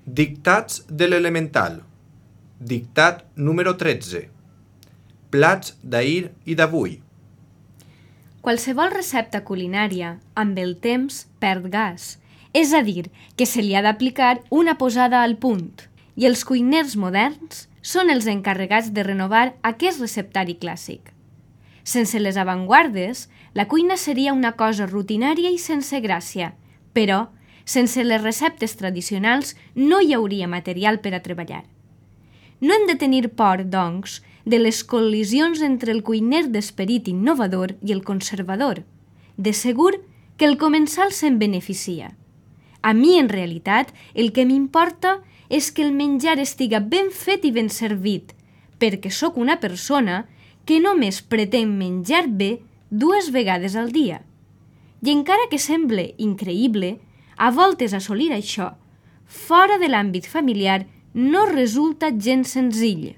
Dictats de l'elemental. Dictat número 13. Plats d'ahir i d'avui. Qualsevol recepta culinària, amb el temps, perd gas. És a dir, que se li ha d'aplicar una posada al punt. I els cuiners moderns són els encarregats de renovar aquest receptari clàssic. Sense les avantguardes, la cuina seria una cosa rutinària i sense gràcia, però sense les receptes tradicionals no hi hauria material per a treballar. No hem de tenir por, doncs, de les col·lisions entre el cuiner d'esperit innovador i el conservador. De segur que el comensal se'n beneficia. A mi, en realitat, el que m'importa és que el menjar estiga ben fet i ben servit, perquè sóc una persona que només pretén menjar bé 2 vegades al dia. I encara que semble increïble, a voltes assolir això, fora de l'àmbit familiar, no resulta gens senzill.